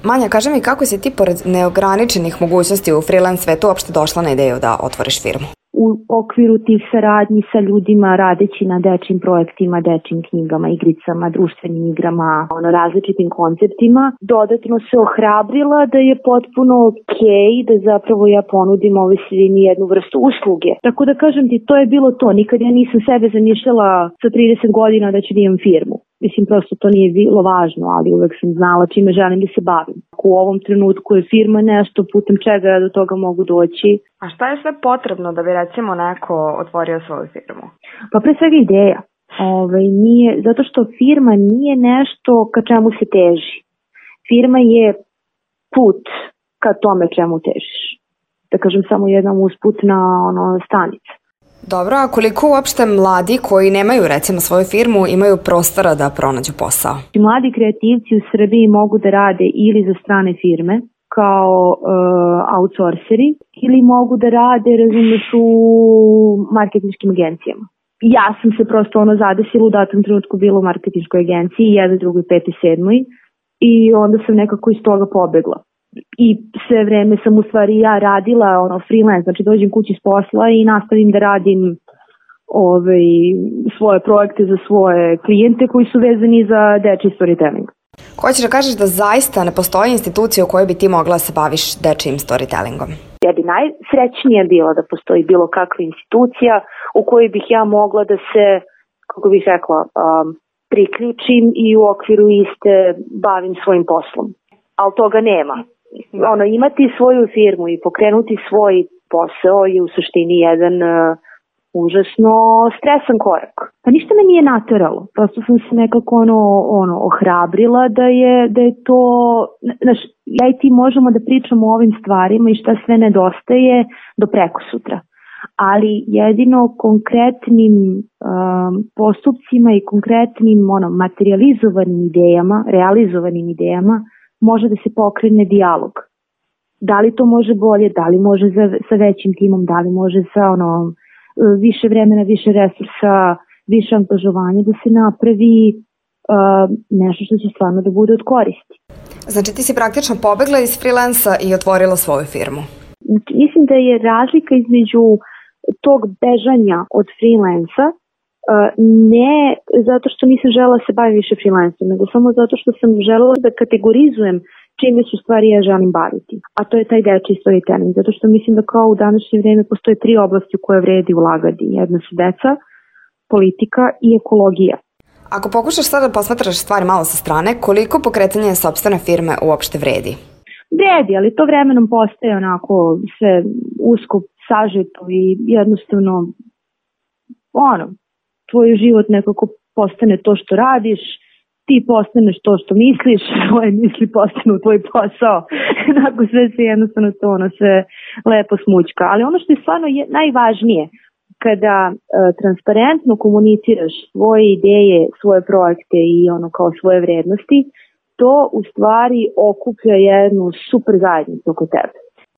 Manja, kaži mi kako si ti pored neograničenih mogućnosti u freelance svetu uopšte došla na ideju da otvoriš firmu? U okviru tih saradnji sa ljudima, radeći na dečjim projektima, dečjim knjigama, igricama, društvenim igrama, različitim konceptima, dodatno se ohrabrila da je potpuno okej da zapravo ja ponudim ovoj svini jednu vrstu usluge. Tako da kažem ti, to je bilo to. Nikad ja nisam sebe zamišljala sa 30 godina da ću da imam firmu. Mislim, prosto to nije bilo važno, ali uvek sam znala čime želim da se bavim. U ovom trenutku je firma nešto putem čega ja do toga mogu doći. A šta je sve potrebno da bi recimo neko otvorio svoju firmu? Pa pre svega ideja. Zato što firma nije nešto ka čemu se teži. Firma je put ka tome čemu težiš. Da kažem samo jedan usputna stanica. Dobro, a koliko uopšte mladi koji nemaju recimo svoju firmu imaju prostora da pronađu posao? Mladi kreativci u Srbiji mogu da rade ili za strane firme kao outsourceri ili mogu da rade, razumeš, u marketinškim agencijama. Ja sam se prosto zadesila u datom trenutku bila u marketinškoj agenciji, 1, 2, 5, 7 i onda sam nekako iz toga pobegla. I sve vreme sam u stvari ja radila freelance, znači dođem kući s posla i nastavim da radim svoje projekte za svoje klijente koji su vezani za dečji storytelling. Hoćeš da kažeš da zaista ne postoji institucija u kojoj bi ti mogla da se baviš dečjim storytellingom? Ja bi najsrećnija bila da postoji bilo kakva institucija u kojoj bih ja mogla da se, kako bih rekla, priključim i u okviru iste bavim svojim poslom. Ali toga nema. Imati svoju firmu i pokrenuti svoj posao je u suštini jedan užasno stresan korak. Pa ništa me nije nateralo. Prosto sam se nekako ohrabrila da je to, znaš, ja i ti možemo da pričamo o ovim stvarima i šta sve nedostaje do prekosutra. Ali jedino konkretnim postupcima i konkretnim materializovanim idejama, realizovanim idejama može da se pokrene dijalog. Da li to može bolje, da li može sa većim timom, da li može sa više vremena, više resursa, više angažovanja da se napravi nešto što će stvarno da bude od koristi. Znači ti si praktično pobegla iz freelansa i otvorila svoju firmu? Mislim da je razlika između tog bežanja od freelansa ne zato što nisam želela da se bavim više freelansom, nego samo zato što sam želela da kategorizujem čime su stvari ja želim baviti. A to je taj dečji storytelling, zato što mislim da kao u današnje vreme postoje 3 oblasti u koje vredi ulagati. Jedna su deca, politika i ekologija. Ako pokušaš sada da posmatraš stvari malo sa strane, koliko pokretanje sopstvene firme uopšte vredi? Vredi, ali to vremenom postaje onako sve usko sažeto i jednostavno tvoj život nekako postane to što radiš, ti postaneš to što misliš, tvoje misli postanu tvoj posao, onako sve se jednostavno to sve lepo smućka. Ali ono što je stvarno najvažnije, kada transparentno komuniciraš svoje ideje, svoje projekte i kao svoje vrednosti, to u stvari okuplja jednu super zajednicu oko tebe.